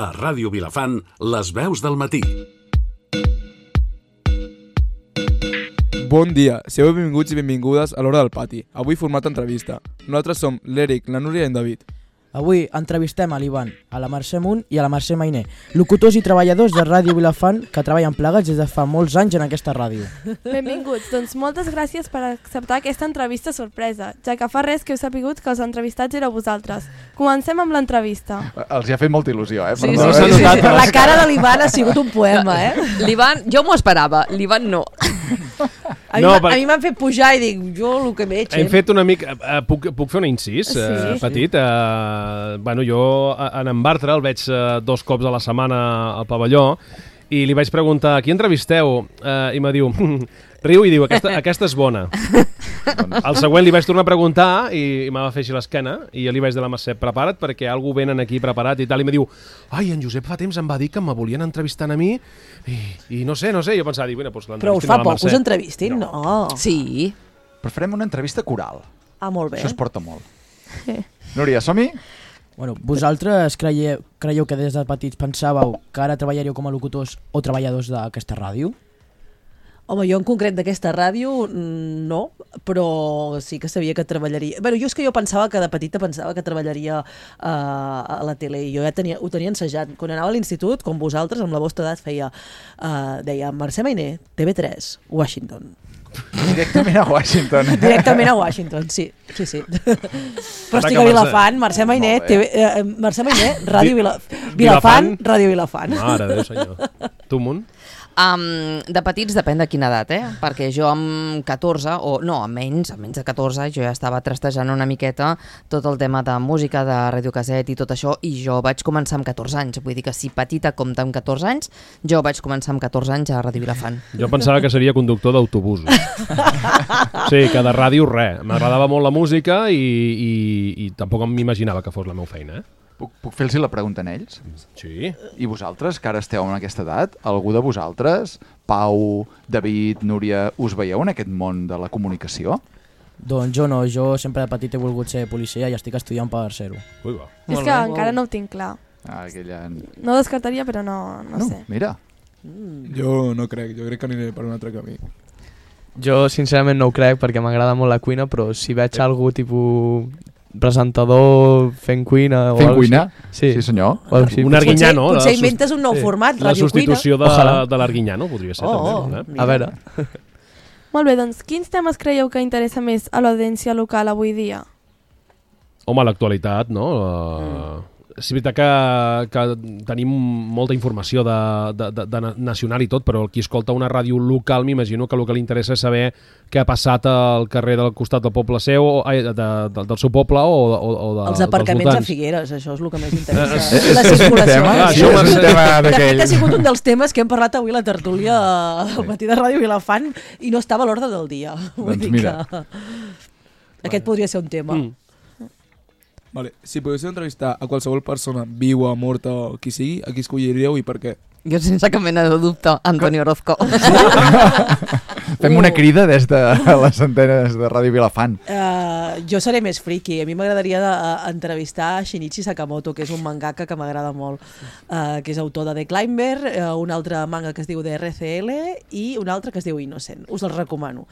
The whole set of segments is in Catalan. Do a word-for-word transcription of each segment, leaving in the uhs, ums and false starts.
A Ràdio Vilafant, les veus del matí. Bon dia, sigueu benvinguts i benvingudes a l'Hora del Pati. Avui format entrevista. Nosaltres som l'Eric, la Núria i en David. Avui entrevistem a l'Ivan, a la Mercè Munt i a la Mercè Mainer, locutors i treballadors de Ràdio Vilafant que treballen plegats des de fa molts anys en aquesta ràdio. Benvinguts, doncs moltes gràcies per acceptar aquesta entrevista sorpresa, ja que fa res que heu sapigut que els entrevistats éreu vosaltres. Comencem amb l'entrevista. Els hi ha fet molta il·lusió, eh? Sí, sí, sí, sí, sí. La cara de l'Ivan ha sigut un poema, eh? L'Ivan, jo m'ho esperava, l'Ivan no. A mi, No, no, per- a mi m'han fet pujar i dic, jo el que veig... Hem fet una mica... Uh, puc, puc fer un incís Sí. uh, petit? Uh, bueno, jo a- en en Bartra el veig uh, dos cops a la setmana al pavelló i li vaig preguntar, qui entrevisteu? Uh, I me diu, riu i diu, aquesta, aquesta és bona. Al següent li vaig tornar a preguntar i, i m'ha de fer així l'esquena i jo li vaig dir a la Mercè, prepara't perquè algú venen aquí preparat i tal, i me diu, ai, en Josep fa temps em va dir que me volien entrevistar a mi i, i no sé, no sé, jo pensava, dir, bueno, doncs Però us l'entrevistin fa a la poc, Mercè. us entrevistin? No. no. Sí. Però farem una entrevista coral. Ah, molt bé. Això es porta molt. Núria, som-hi? Bueno, vosaltres creieu, creieu que des de petits pensàveu que ara treballaríeu com a locutors o treballadors d'aquesta ràdio? Home, jo en concret d'aquesta ràdio no, però sí que sabia que treballaria... Bé, jo és que jo pensava que de petita pensava que treballaria uh, a la tele i jo ja tenia, ho tenia ensajat. Quan anava a l'institut, com vosaltres, amb la vostra edat, feia... Uh, deia, Mercè Mainer, T V tres, Washington. Directament a Washington. Directament a Washington, sí, sí, sí. Però estic a Vilafant, Mercè Mainer, T V, eh, Mercè Mainer, Ràdio Vila, Vilafant, Ràdio Vilafant. Mare de Déu, senyor. Tu, Munt? Um, de petits depèn de quina edat, eh? Perquè jo amb catorze, o no, amb menys, amb menys de catorze, jo ja estava trastejant una miqueta tot el tema de música, de radiocaset i tot això, i jo vaig començar amb catorze anys. Vull dir que si petita compta amb catorze anys, jo vaig començar amb catorze anys a Ràdio Vilafant. Jo pensava que seria conductor d'autobusos. Sí, que de ràdio res. M'agradava molt la música i, i, i tampoc m'imaginava que fos la meva feina, eh? Puc, puc fer-los la pregunta a ells? Sí. I vosaltres, que ara esteu en aquesta edat, algú de vosaltres, Pau, David, Núria, us veieu en aquest món de la comunicació? Doncs jo no, jo sempre de petit he volgut ser policia i estic estudiant per ser-ho. Ui, va. És que encara no ho tinc clar. Ah, aquella... No ho descartaria, però no, no, No, sé. mira. Jo no crec, jo crec que aniré per un altre camí. Jo sincerament no ho crec perquè m'agrada molt la cuina, però si veig algú tipus presentador fent cuina o Fent algo cuina? així. Sí, senyor. O algo així. Un arguinyano. Potser, potser la sus- inventes un nou format, La Radio substitució de, Ojalà. de l'Arguinyano podria ser, Oh, també. oh. Eh? A veure, Molt bé, doncs quins temes creieu que interessa més a l'audiència local avui dia? Home, l'actualitat, no? Uh, és veritat que, que tenim molta informació de, de, de, de nacional i tot, però el qui escolta una ràdio local m'imagino que el que li interessa és saber què ha passat al carrer del costat del poble seu, o, ai, de, de, del seu poble o, o, o de, Els aparcaments dels a voltants. Figueres, això és el que més interessa. Eh, la és un circulació. tema? Ah, Sí, això és un va- tema De fet, d'aquell... ha sigut un dels temes que hem parlat avui a la tertúlia al matí de Ràdio Vilafant i no estava a l'ordre del dia. Vull Doncs dir mira. que aquest podria ser un tema. Mm. Vale. Si poguéssiu entrevistar a qualsevol persona, viua, morta o qui sigui, a qui escolliríeu i per què? Jo sense cap mena de dubte, Antonio Orozco. Fem una crida des de les antenes de Ràdio Vilafant. Uh, jo seré més friki. A mi m'agradaria de, uh, entrevistar Shinichi Sakamoto, que és un mangaka que m'agrada molt, uh, que és autor de The Climber, uh, un altre manga que es diu D R C L i un altre que es diu Innocent. Us el recomano.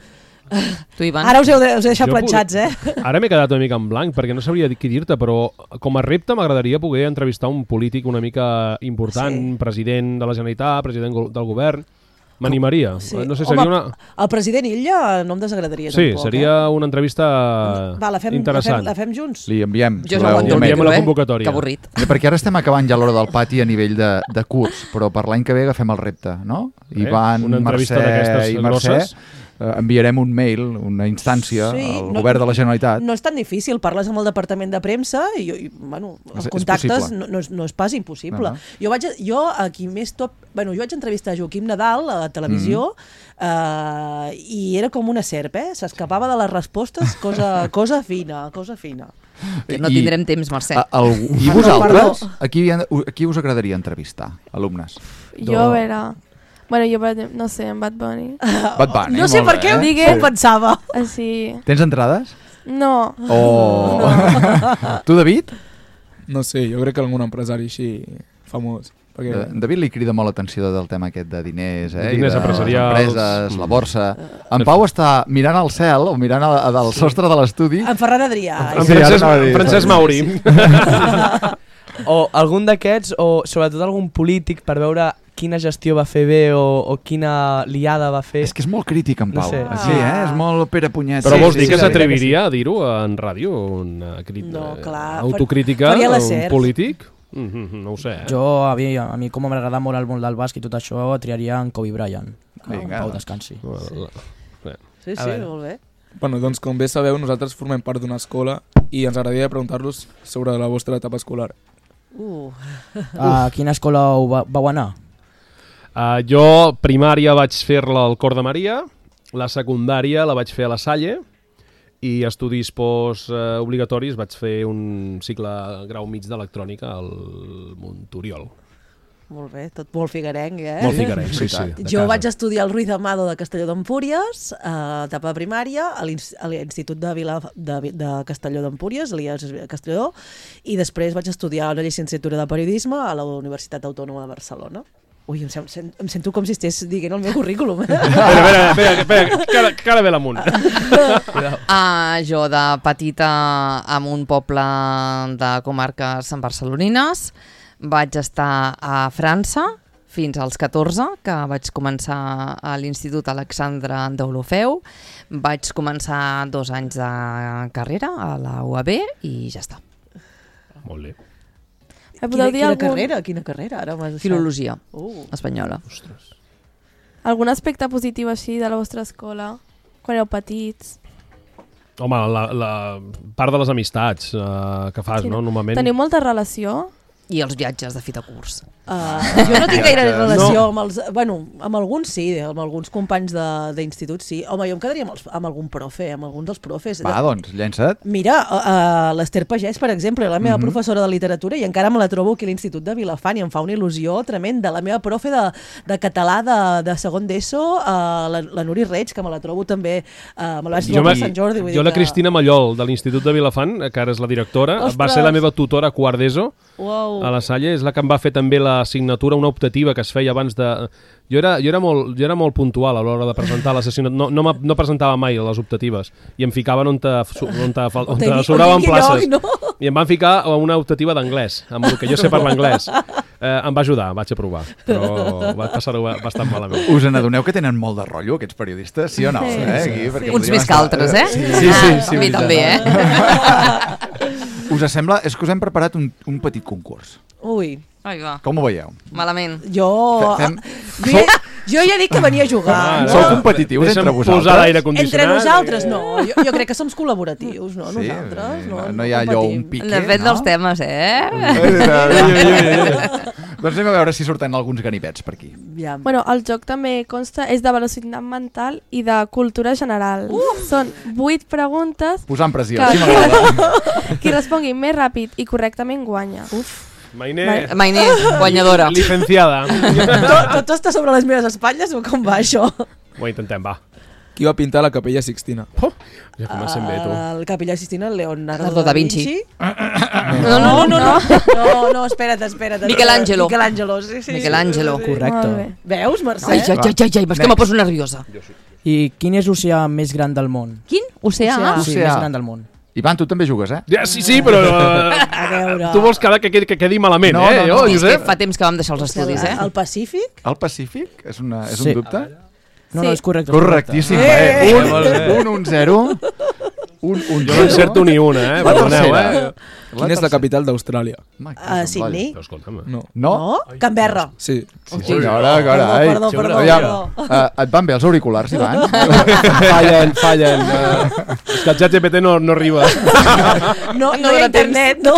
Tu, Ivan? Ara us heu, us he deixat Jo planxats, eh? Ara m'he quedat una mica en blanc perquè no sabria què dir-te, però com a repte m'agradaria poder entrevistar un polític una mica important, Sí. president de la Generalitat, president go- del govern. M'animaria. Sí. No sé, Home, seria una... el president Illa no em desagradaria Sí, tampoc. seria una entrevista Va, la fem, interessant. La fem, la fem junts? Li enviem. Jo la- no ho un enviem mail. enviem la eh? convocatòria. Que avorrit. Sí, perquè ara estem acabant ja l'hora del pati a nivell de, de curs, però per l'any que ve agafem el repte, no? Eh, Ivan, una entrevista Mercè d'aquestes i Mercè, grosses. eh, enviarem un mail, una instància Sí, al no- govern de la Generalitat. No és tan difícil, parles amb el departament de premsa i, i bueno, els És- és contactes possible. no, no, és, no és pas impossible. Uh -huh. Jo vaig a, jo a qui més top, bueno, jo vaig entrevistar Joaquim Nadal a la televisió Mm. eh, i era com una serp, eh? S'escapava de les respostes, cosa, cosa fina, cosa fina. Que no I- tindrem temps, Mercè. A, algú, I Perdó, vosaltres? perdó. A qui, a qui us agradaria entrevistar, alumnes? Jo, a veure... Bueno, jo, per exemple, no sé, en Bad Bunny. Bad Bunny, No sé molt per què bé, digué, Sí. pensava. Així... Tens entrades? No. Oh. Tu, David? No sé, jo crec que algun empresari així famós. Perquè... De, David li crida molt l'atenció del tema aquest de diners, eh? Diners I de empresarials. les empreses, la borsa. En Pau està mirant al cel o mirant a, a del sostre de l'estudi. En Ferran Adrià. En Sí, ara Francesc, anava a dir, Francesc sí, Mauri. Sí. O algun d'aquests, o sobretot algun polític, per veure quina gestió va fer bé o, o quina liada va fer. És que és molt crític, en No Pau. sé. Sí, eh? És molt Pere Punyet. Però Sí, vols sí, dir que sí, s'atreviria a dir-ho en ràdio? Una crit... No, clar. Autocrítica Faria a la un Sers. polític? Mm -hmm, no ho sé, eh? Jo, a mi, a mi com m'agrada molt el món del bàsquet i tot això, triaria en Kobe Bryant. Que Vinga. en Pau descansi. Sí, A sí, veure. molt bé. Bueno, doncs com bé sabeu, nosaltres formem part d'una escola i ens agradaria preguntar-los sobre la vostra etapa escolar. Uh. A quina escola ho va, vau anar? Uh, jo primària vaig fer-la al Cor de Maria, la secundària la vaig fer a la Salle i estudis post uh, obligatoris vaig fer un cicle grau mig d'electrònica al Montoriol. Molt bé, tot molt figuerenc, eh? Molt figuerenc, sí, sí. de Jo casa. vaig estudiar al Ruiz de Amado de Castelló d'Empúries, a etapa de primària, a l'ins- a l'Institut de, Vila, de, Vi- de Castelló d'Empúries, l'I A S Castelló, i després vaig estudiar una llicenciatura de periodisme a la Universitat Autònoma de Barcelona. Ui, em, sem, sem, em sento com si estigués dient el meu currículum. Espera, espera, espera, espera, que ara, que ara ve l'amunt. Uh, jo de petita en un poble de comarques barcelonines vaig estar a França fins als catorze, que vaig començar a l'Institut Alexandre d'Olofeu. Vaig començar dos anys de carrera a la U A B i ja està. Molt bé. Em Quina, podeu dir quina algun, carrera? Quina carrera? Ara m'has deixat. Filologia Uh. espanyola. algun aspecte positiu així de la vostra escola? Quan éreu petits? Home, la, la part de les amistats uh, que fas, Sí, no? Normalment... Teniu molta relació? I els viatges de fi de curs. Uh, jo no tinc gaire relació amb els... Bueno, amb alguns sí, amb alguns companys de- d'institut sí. Home, jo em quedaria amb, els, amb algun profe, amb alguns dels profes. Va, doncs, llença't. Mira, uh, l'Ester Pagès, per exemple, la meva Mhm. professora de literatura, i encara me la trobo aquí a l'Institut de Vilafant i em fa una il·lusió tremenda. La meva profe de, de català de, de segon d'ESO, uh, la, la Nuri Reig, que me la trobo també, uh, me la vaig Jo, trobar me, a Sant Jordi. Vull jo dir la que... Cristina Mallol, de l'Institut de Vilafant, que ara és la directora, Ostres! va ser la meva tutora a quart d'ESO, Uau. a la Salle, és la que em va fer també l'assignatura, una optativa que es feia abans de... Jo era, jo era, molt, jo era molt puntual a l'hora de presentar les assignatura, no, no, no presentava mai les optatives i em ficaven on te, on te, on te, On sobraven tingui places. lloc, no? I em van ficar a una optativa d'anglès, amb el que jo sé parlar anglès. Eh, em va ajudar, vaig aprovar, però va passar-ho bastant malament. Us n'adoneu que tenen molt de rotllo, aquests periodistes? Sí o no? Sí, eh? sí, Aquí, sí. perquè Uns podríem més que estar- altres, eh? Sí, sí, sí. sí A mi veritat. també, eh? Us sembla? És que us hem preparat un, un petit concurs. Ui, Ai, va. Com ho veieu? Malament. jo... Fem- Jo, ja, jo ja dic que venia a jugar. Ah, no? Sou competitius Deixa'm entre vosaltres? posar l'aire condicionat. Entre nosaltres, no. Jo, jo crec que som col·laboratius, no? Sí, Nosaltres, no. no, no hi ha allò un competim. pique, Depèn no? dels temes, eh? Doncs anem a veure si surten alguns ganivets per aquí. Ja. Bueno, el joc també consta, és de velocitat mental i de cultura general. Uh! Són vuit preguntes. Posant pressió, Que- així m'agrada. Qui respongui més ràpid i correctament guanya. Uf. Mainé, Mainé, guanyadora. licenciada. Tot, tot està sobre les meves espatlles o com va això? Ho intentem, va. Qui va pintar la Capella Sixtina? Oh, ja comencem bé, tu. El Capellà Sistina, el Leonardo Leonardo da Vinci. No, no, no, no, no, no, no, espera't, espera't. Michelangelo. Michelangelo, sí, sí. Mercè. Molt Correcte. bé. Veus, Mercè? Ai, ai, ai, ai, ai, és que me poso nerviosa. I quin és l'oceà més gran del món? Quin? Oceà? Oceà. Sí, Oceà. més gran del món. Ivan, tu també jugues, eh? Ja, sí, sí, però... eh, A veure... tu vols que, que, que quedi malament, No, eh? no, no. Jo, És que Josep? fa temps que vam deixar els estudis, eh? El Pacífic? El Pacífic? És, una, és Sí. un dubte? No, Sí. no, és correcte. és Correctíssim. Eh! Eh! Un, un, un, zero. Un, un, Jo no encerto ni una, eh? La Perdoneu, tercera. eh? Quina és la tercera. capital d'Austràlia? Home, que A sembla- Sydney? Però escolta'm, No. No? No? Canberra. Sí. Sí, senyora, Perdó, carai. perdó, perdó, Aviam, perdó. eh, et van bé els auriculars, Ivan? fallen, fallen. Uh, és que el xat G P T no, no arriba. No, no, No hi ha dóna temps. internet, no.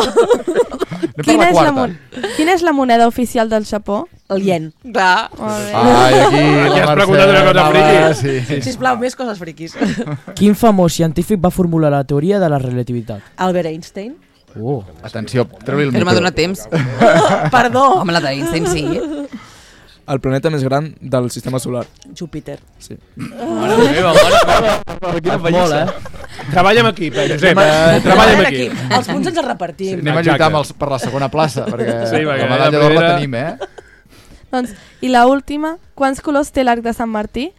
Anem per Quina la és la, quarta. mon quina és la moneda oficial del Japó? El ien. Clar. Molt bé. Ai, aquí Aquí la has Mercè preguntat una cosa anava- friqui. Sí, sí. Sisplau, més coses friquis. Quin famós científic va formular la teoria de la relativitat? Albert Einstein. Oh. Atenció, treu-li el Però m'ha micro. donat temps. Perdó. Home, la d'Einstein sí. el planeta més gran del sistema solar? Júpiter. Sí. Mare meva, mare meva. Quina Molt, eh? Treballa amb equip, eh, Josep. Eh, treballa amb equip. Els punts ens els repartim. Anem a lluitar amb els, per la segona plaça, perquè, Sí, perquè la medalla la d'or la primera- tenim, eh? Doncs, i la última, quants colors té l'arc de Sant Martí?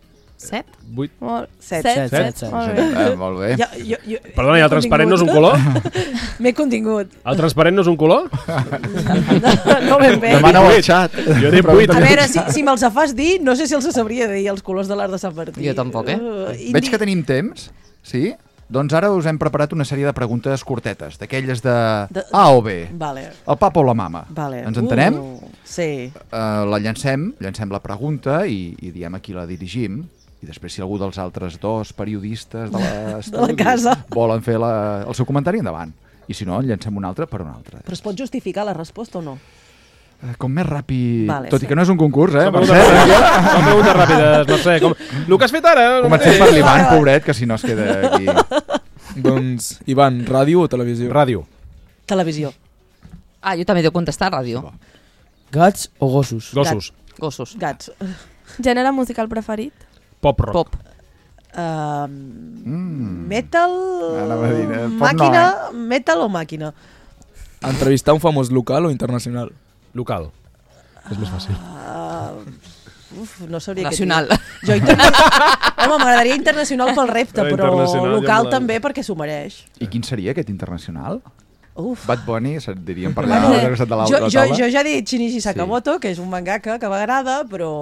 Set? Vuit. Molt... Set, set, set, set. Molt bé. Eh, molt bé. Ja, jo, jo, Perdona, i el transparent no és un color? M'he contingut. El transparent no és un color? No ben bé. Demana-ho al xat. Jo he dit vuit. A veure, si, si me'ls fas dir, no sé si els sabria dir, els colors de l'art de Sant Martí. Jo tampoc, eh? Uh, Veig que tenim temps, sí? Doncs ara us hem preparat una sèrie de preguntes curtetes, d'aquelles de De- A o B. Vale, El papa o la mama. vale. Ens entenem? Uh, sí. Uh, la llancem, llancem la pregunta i, i diem a qui la dirigim. I després, si algú dels altres dos periodistes de l'estudi casa. volen fer la, el seu comentari, endavant. I si no, en llancem un altre per un altre. Però es pot justificar la resposta o no? Eh, Com més ràpid... Vale, Tot sí. i que no és un concurs, eh? Són Mercè? preguntes, són preguntes ràpides, no sé. Com... El que has fet ara? Comencem per l'Ivan, pobret, que si no es queda aquí. Doncs, Ivan, ràdio o televisió? Ràdio. Televisió. Ah, jo també devo contestar ràdio. Gats o gossos? Gossos. Gossos. Gats. Gènere musical preferit? Pop rock. Pop. Uh, Mm. metal... Anava a dir, eh, pop no, Màquina... Metal o màquina? Entrevistar un famós local o internacional? Local. És més fàcil. Uh, uf, no sabria Nacional. què dir. Jo interna... Home, m'agradaria internacional pel repte, Però però internacional ja local me la- també perquè s'ho mereix. I quin seria aquest internacional? Uf. Bad Bunny, se't diríem per allà, Bueno, al costat de la, jo, la jo, taula. jo ja he dit Shinichi Sakamoto, que és un mangaka que m'agrada, però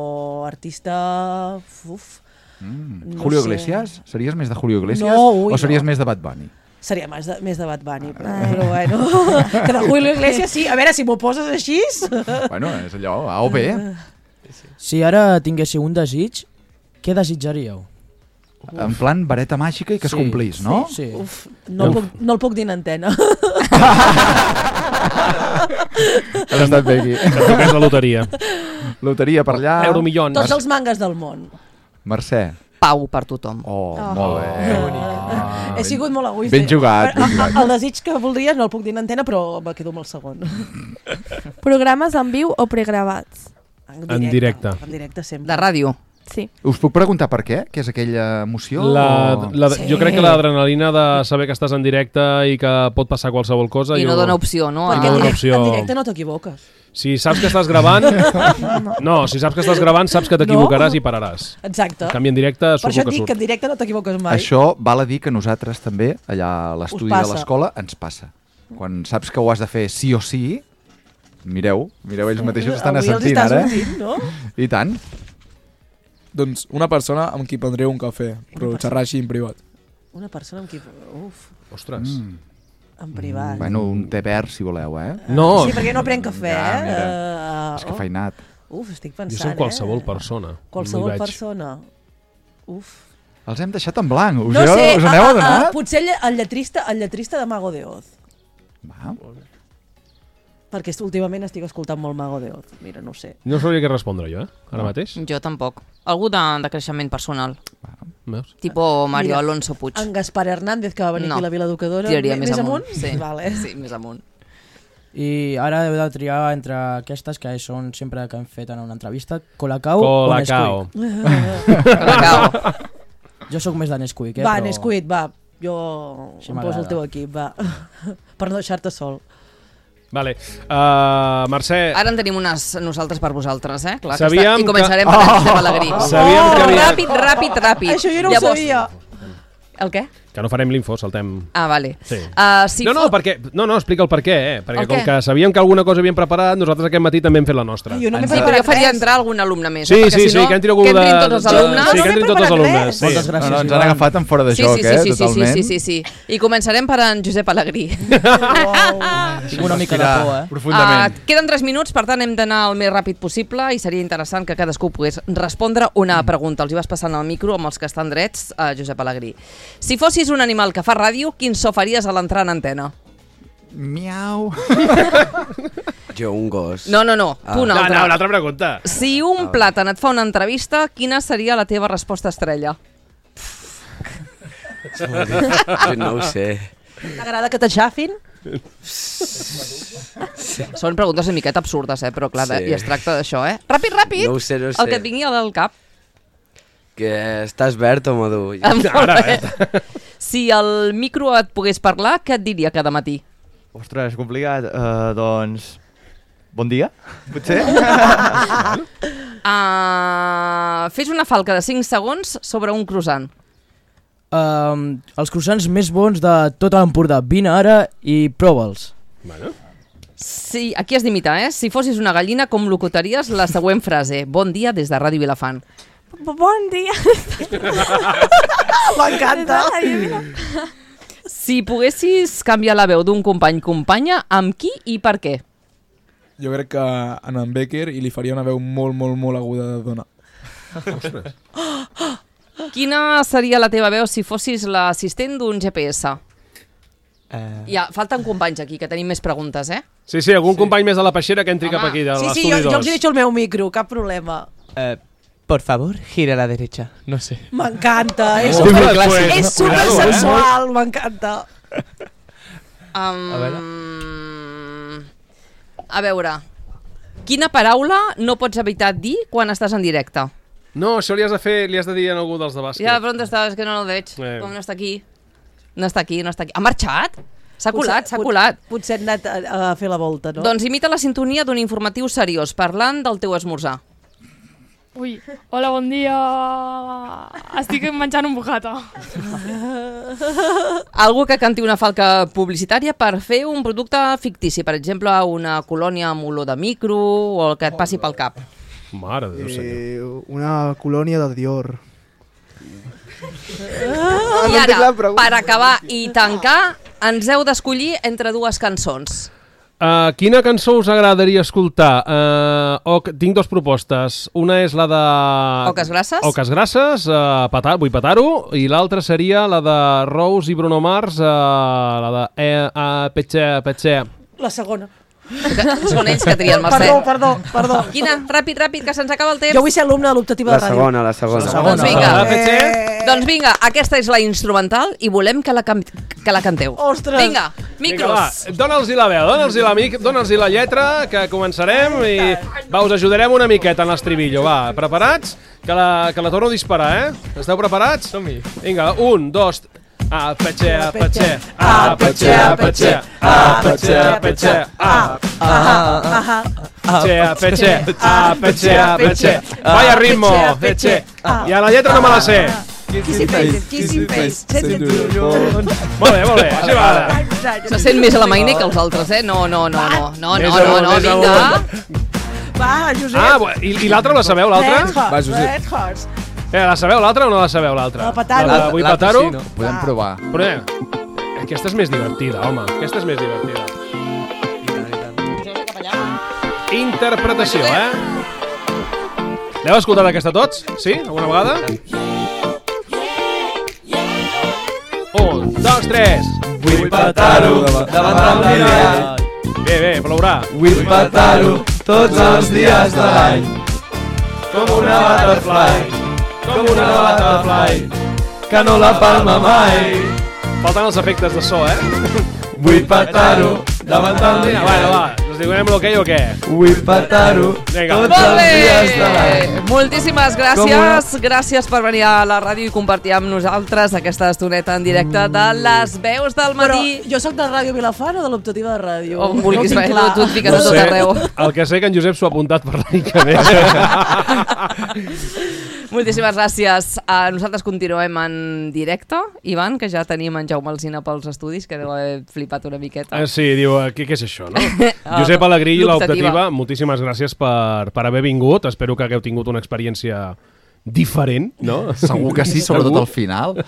artista... Uf, Mm. no Julio sé. Iglesias? Series més de Julio Iglesias No, ui, o series no. més de Bad Bunny? seria més de, més de Bad Bunny, però, Ai. però bueno... Que de Julio Iglesias sí. A veure, si m'ho poses així... Bueno, és allò, A o B. Si ara tinguéssiu un desig, què desitjaríeu? En plan vareta màgica i que es Sí, complís, no? Sí. Uf, no, el puc, no el puc dir en antena. Has estat bé aquí. Que toqués la loteria. Loteria per allà. Euromillons. Tots els mangas del món. Mercè. Pau per tothom. Oh, Oh. molt bé. Ah, He sigut molt egoista. Ben jugat, ben El, jugat. el desig que voldria no el puc dir en antena, però me quedo amb el segon. Programes en viu o pregravats? En directe. En directe sempre. De ràdio. Sí. Us puc preguntar per què? Què és aquella emoció? La, o- la, Sí. Jo crec que l'adrenalina de saber que estàs en directe i que pot passar qualsevol cosa... I jo... no dona opció, no? Perquè no en, dona directe, opció. en directe no t'equivoques. Si saps que estàs gravant... No, si saps que estàs gravant, saps que t'equivocaràs No. i pararàs. Exacte. En canvi, en directe Per surt això el et que dic que surt. en directe no t'equivoques mai. Això val a dir que nosaltres també, allà a l'estudi Us de passa. l'escola, ens passa. Quan saps que ho has de fer sí o sí, mireu, mireu, ells mateixos estan Avui els assentint està ara. sortint, no? I tant. Doncs una persona amb qui prendreu un cafè, però persona. xerrar així en privat. Una persona amb qui... Uf, Ostres. Mm. en privat. Bueno, un té verd, si voleu, eh? No, Sí, perquè no prenc cafè, Ja, eh? mira. Uh, És que feinat. Uf, estic jo pensant, soc qualsevol eh? persona. Qualsevol No hi veig. persona. Uf. Els hem deixat en blanc. Us, No heu, sé, us ah, aneu ah, adonat? ah, potser el, el, lletrista, el lletrista de Mago de Oz. Va. Perquè est- últimament estic escoltant molt Mago de Oz. Mira, no ho sé. No sabria què respondre jo, eh? Ara mateix. Jo tampoc. Algú de, de creixement personal. Veus? Tipo Mario Mira, Alonso Puig. En Gaspar Hernández, que va venir No. aquí a la Vila Educadora. Tiraria me- més amunt. Sí. Vale. Sí, més amunt. I ara heu de triar entre aquestes que són sempre que hem fet en una entrevista, Colacao, Colacao. o Nesquik. Colacao. Jo sóc més de Nesquik, eh? Va, però... Nesquik, va. Jo Sí, em poso m'agrada. el teu equip, va. Per no deixar-te sol. Vale. Uh, Mercè, Ara en tenim unes nosaltres per vosaltres, eh? Clar, Sabíem que està... I començarem que- per en Josep Alegrí. Sabíem que havia- Ràpid, ràpid, ràpid. Això jo no ho sabia. El què? que no farem l'info, saltem... Ah, vale. Sí. Uh, si no, no, fos- perquè, no, no, explica el per què, eh? Perquè El com què? que sabíem que alguna cosa havíem preparat, nosaltres aquest matí també hem fet la nostra. Jo no m'he Sí, però preparat jo faria res. entrar algun alumne més, Sí, eh? Perquè sí, si sí, no, que entri algú que de... entrin tots els de- alumnes. Sí, No, que no entrin m'he tots els preparat alumnes. res. Sí. Moltes gràcies, No, no, ens han Ivan. agafat en fora de Sí, joc, sí, sí, eh? sí, sí, sí, Totalment. sí, sí, sí. I començarem per en Josep Alegrí. Tinc una mica de por, eh? Profundament. Uh, queden tres minuts, per tant hem d'anar el més ràpid possible i seria interessant que cadascú pogués respondre una pregunta. Els hi vas passant el micro amb els que estan drets, uh, Josep Alegrí. Si fossis un animal que fa ràdio, quin so faries a l'entrar en antena? Miau. Jo, un gos. No, no, no, tu una No, altra. no, l'altra pregunta. Si un plàtan et fa una entrevista, quina seria la teva resposta estrella? Jo no ho sé. T'agrada que t'aixafin? Són preguntes una miqueta absurdes, eh? Però clar, Sí. i es tracta d'això, eh? Ràpid, ràpid! No ho sé, no ho El que sé. et vingui al cap. Que estàs verd o madur? Ah, molt bé. Si el micro et pogués parlar, què et diria cada matí? Ostres, complicat. Uh, doncs... Bon dia, potser? Uh, fes una falca de cinc segons sobre un croissant. Um, els croissants més bons de tot l'Empordà. Vine ara i prova'ls. Bueno. Sí, aquí has d'imitar, eh? Si fossis una gallina, com locuteries la següent frase? Bon dia des de Ràdio Vilafant. Bon dia. M'encanta. Si poguessis canviar la veu d'un company-companya, amb qui i per què? Jo crec que en en Becker i li faria una veu molt, molt, molt aguda de dona. Ostres. Quina seria la teva veu si fossis l'assistent d'un G P S? Eh... Ja, falten companys aquí, que tenim més preguntes, eh? Sí, sí, algun sí. company més de la peixera que entri Home. cap aquí, de Sí, sí, l'estudi jo, jo dos. els he deixat el meu micro, cap problema. Eh, por favor, gira a la derecha. No sé. M'encanta, és Oh, super, pues, és super cuidado, eh? sensual, m'encanta. Um, A veure. a veure, quina paraula no pots evitar dir quan estàs en directe? No, això li has de fer, li has de dir a algú dels de bàsquet. Ja, però on està? És que no el veig. Eh. Com no està aquí? No està aquí, no està aquí. Ha marxat? S'ha colat, s'ha Potser- colat. Potser hem anat a, a fer la volta, no? Doncs imita la sintonia d'un informatiu seriós parlant del teu esmorzar. Ui, hola, bon dia. Estic menjant un bocata. Algú que canti una falca publicitària per fer un producte fictici, per exemple, una colònia amb olor de micro o el que et passi pel cap. Mare de Déu, senyor. Eh, una colònia de Dior. I ara, per acabar i tancar, ens heu d'escollir entre dues cançons. Uh, quina cançó us agradaria escoltar? Uh, o, tinc dues propostes. Una és la de... Oques Grasses? Oques Grasses, uh, petar, vull petar-ho, i l'altra seria la de Rose i Bruno Mars, uh, la de eh, uh, Petxe, Petxe. La segona. Són ells que trien, Mercè. Perdó, perdó, perdó. Quina? Ràpid, ràpid, que se'ns acaba el temps. Jo vull ser alumne de l'optativa La de ràdio. segona, la segona. La Doncs vinga. Eh... Doncs vinga, aquesta és la instrumental i volem que la, can que la canteu. Ostres. Vinga, Vinga, va, micros. dona'ls-hi la veu, dona'ls-hi la, mic, dona'ls la lletra, que començarem i va, us ajudarem una miqueta en l'estribillo. Va, preparats? Que la, que la torno a disparar, eh? Esteu preparats? Som-hi. Vinga, un, dos... A petxe, a petxe, A petxe, a petxe, a petxe, a petxe, a petxe, a petxe, a petxe, a petxe. Vaya ritmo, petxe. I a la lletra no me la sé. Kissy face, kissy face, sense Molt bé, molt bé, així va. Se sent més a la Mainé que els altres, eh? No, no, no, no, no, Més no, amunt, no, no, més vinga. amunt. Va, Josep. Ah, bu- i, i l'altra la sabeu, l'altra? Red Horse, Va, Josep. Red Horse. Eh, la sabeu, l'altra o no la sabeu, l'altra? La petar-ho. La de vull L'altra petar-ho? sí, no? Podem provar. Però eh, aquesta és més divertida, home. Aquesta és més divertida. Interpretació, eh? L'heu escoltat aquesta tots? Sí? Alguna vegada? Un, dos, tres. Vull petar-ho davant del mirall. Bé, bé, plourà. Vull petar-ho tots els dies de l'any. Com una butterfly, com una butterfly, que no la palma mai. Falten els efectes de so, eh? Vull petar-ho davant del Vinga, bueno, mirall. va. Us diguem l'ok o què? Vull petar-ho Vinga. tots Molt els dies de bé! l'any. Moltíssimes gràcies. Gràcies per venir a la ràdio i compartir amb nosaltres aquesta estoneta en directe de les veus del Però matí. jo sóc de Ràdio Vilafant o de l'optativa de ràdio? On vulguis, no ho tinc tu, clar. tu et fiques a tot arreu. El que sé que en Josep s'ho ha apuntat per l'any que ve. Moltíssimes gràcies. Uh, nosaltres continuem en directe. Ivan, que ja tenim en Jaume Alsina pels estudis, que deu haver flipat una miqueta. Eh, sí, diu, eh, què, què és això, no? Josep Alegrí i l'Optativa, moltíssimes gràcies per, per haver vingut. Espero que hagueu tingut una experiència diferent, no? Segur que sí, sobretot al final.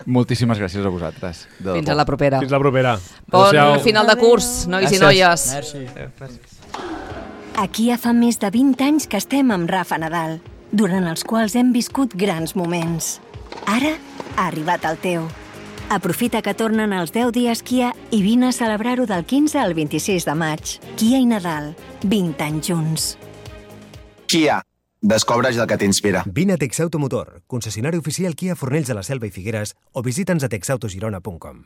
Moltíssimes gràcies a vosaltres. De Fins debò. a la propera. Fins la propera. Bon Adéu-siau. final de curs, nois i noies. Aquí ja fa més de vint anys que estem amb Rafa Nadal, durant els quals hem viscut grans moments. Ara ha arribat el teu. Aprofita que tornen els deu dies Kia i vine a celebrar-ho del quinze al vint-i-sis de maig. Kia i Nadal, vint anys junts. Kia, descobreix el que t'inspira. Vine a Texauto Motor, concessionari oficial Kia Fornells de la Selva i Figueres, o visita'ns a texautogirona punt com.